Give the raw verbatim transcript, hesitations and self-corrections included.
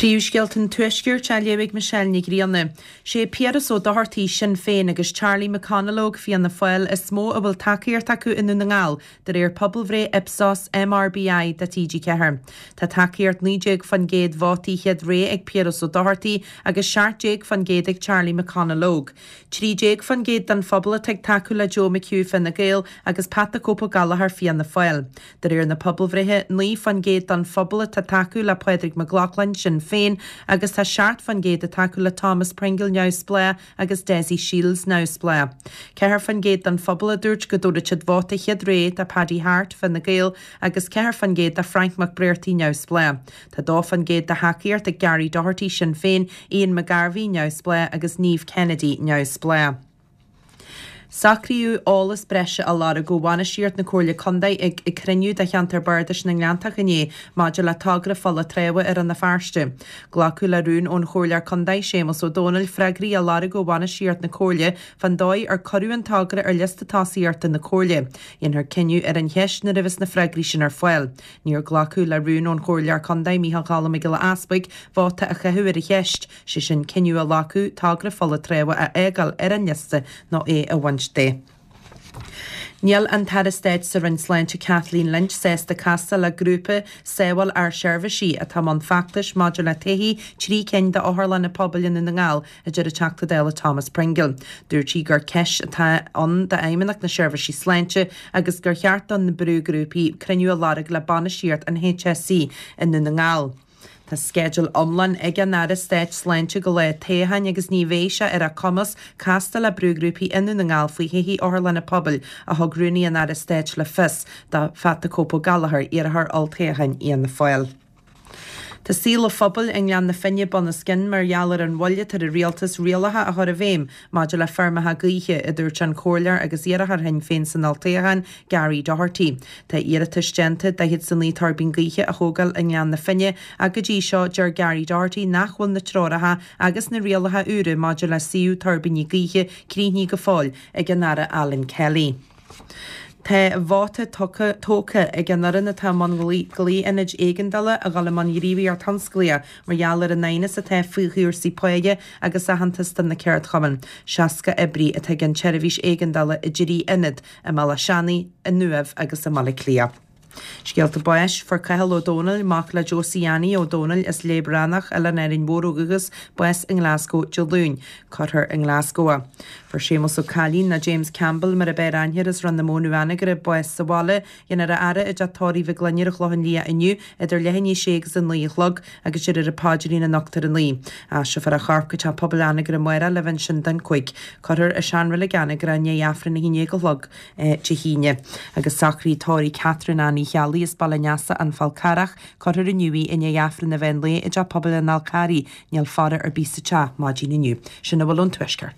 Príomhscéalta an Tuaiscirt á léamh ag Michelle Ní Ghrianna. Sé Piaras Ó Dochartaigh, Sinn Féin, agus Charlie McConalogue, Fianna Fáil, is mó a bhfuil tacaíocht acu i nDún na nGall, de réir pobalbhreith Ipsos MRBI do T G ceathair. Tá tacaíocht naoi déag faoin gcéad vótaí chéad rogha ag Piaras Ó Dochartaigh agus seacht déag faoin gcéad ag Charlie McConalogue. Trí déag faoin gcéad den phobal atá ag tacú le Joe McHugh, Fine Gael, agus Pat the Cope Gallagher, Fianna Fáil. De réir na pobalbhreithe, naoi faoin gcéad den phobal atá ag tacú le Pádraig Mac Lochlainn, Sinn Féin, agus tá seacht faoin gcéad ag tacú le Thomas Pringle, Neamhspleách, agus Dessie Shields, Neamhspleách. Ceathair faoin gcéad den phobal a dúirt go dtabharfadh siad vóta chéad rogha do Paddy Harte, Fine Gael, agus ceathair faoin gcéad do Frank McBrearty, Neamhspleách. Tá dó faoin gcéad de thacaíocht ag Gary Doherty, Sinn Féin, Ian McGarvey, Neamhspleách, agus Niamh Kennedy, Neamhspleách. Socraíodh eolas breise a lorg ó bhainistíocht na Comhairle Contae ag cruinniú de cheantar Bardais na nGleanntach inné maidir le togra Pholla Treabha i Rann na Feirste. Glacadh le rún ón Chomhairleoir Contae Séamus Ó Dónaill freagraí a lorg ó bhainistíocht na Comhairle fán dóigh ar cuireadh an togra ar liosta tosaíochta na Comhairle. Dhéanfar cinneadh ar an cheist nuair a bheas na freagraí sin ar fáil. Níor glacadh le rún ón Chomhairleoir Contae Micheál Choilm Mac Giolla Easpaig vóta a chaitheamh ar an cheist, sé sin cinneadh a ghlacadh togra Pholla Treabha a fhágáil ar an liosta nó é a bhaint de. Níl an tAire Stáit sa Roinn Sláinte Kathleen Lynch sásta castáil le grúpa Sábháil Ár Seirbhísí atá i mbun feachtais maidir le todhchaí trí cinn d'otharlanna pobail i nDún na nGall, a deir an Teachta Dála Thomas Pringle. Dúirt sí gur ceist atá ann d'Fheidhmeannacht na Seirbhísí Sláinte agus gur cheart do na brúghrúpaí cruinniú a lorg le bainistíocht an H S C i nDún na nGall. Tá sceideal iomlán ag an Aire Stáit Sláinte go lá toghcháin agus ní bheidh sé ar a cumas castáil le brúghrúpaí i nDún na nGall faoi thodhchaí otharlanna pobail a thug rúnaí an Aire Stáit le fios do Phat the Cope Gallagher, iarrthóir olltoghcháin Fhianna Fáil. Tá saol an phobail i nGleann na Finne bunoscionn mar gheall ar an mhoill atá ar an rialtas rialacha a chur i bhfeidhm maidir le feirmeacha gaoithe, a dúirt an comhairleoir agus iarrthóir Shinn Féin san olltoghchán, Gary Doherty. Tá iarratais déanta daichead is a naoi tuirbín gaoithe a thógáil i nGleann na Finne ach go dtí seo deir Gary Doherty nach bhfuil na treoracha agus na rialacha úra maidir le suíomh tuirbíní gaoithe críochnaithe go fóill ag an Aire Alan Kelly. Tá vóta tógtha ag an fhoireann atá i mbun glao-ionaid éigeandála a dhul i mbun gníomhaíocht thionsclaíoch mar gheall ar an aighneas atá faoi chúrsaí páighe agus aitheantas do na ceardchumainn. Seasca oibrí atá ag an tseirbhís éigeandála i dtrí ionad, i mBealach Seanaidh, i nUaimh agus i mBaile Átha Cliath. Scéalta báis, fuair Cathal Ó Dónaill, mac le Josie Annie Ó Dónaill as Léib Ránach, Oileán Árainn Mhór ó dhúchas, bás i nGlasgow Dé Luain. Cuirfear i nGlasgow é. Fuair Séamus Ó Cailín nó James Campbell mar a b'fhearr aithne air as Rinn na Móna Anagaire bás sa bhaile, dhéanfar a fhaire i dteach tórraimh Mhic Gloinn ar an Chlochán Liath inniu idir leath i ndiaidh a sé agus a naoi a chlog agus déarfar an paidrín anocht ar a naoi. Aistreofar a chorp go teach pobail Anagaire amárach le bheith ansin don cúig. Cuirfear i seanreilig Anagaire i ndiaidh Aifreann a haon déag a chlog Dé hAoine. Agus socraíodh tórraimh Catherine Annie Cheallaigh as Baile an Easa an Fál Carrach, cuirfear inniu í i ndiaidh Aifreann an mheán lae i dteach pobail an Fháil Carraigh. Níl faire ar bith sa teach maidin inniu. Sin a bhfuil ón Tuaisceart.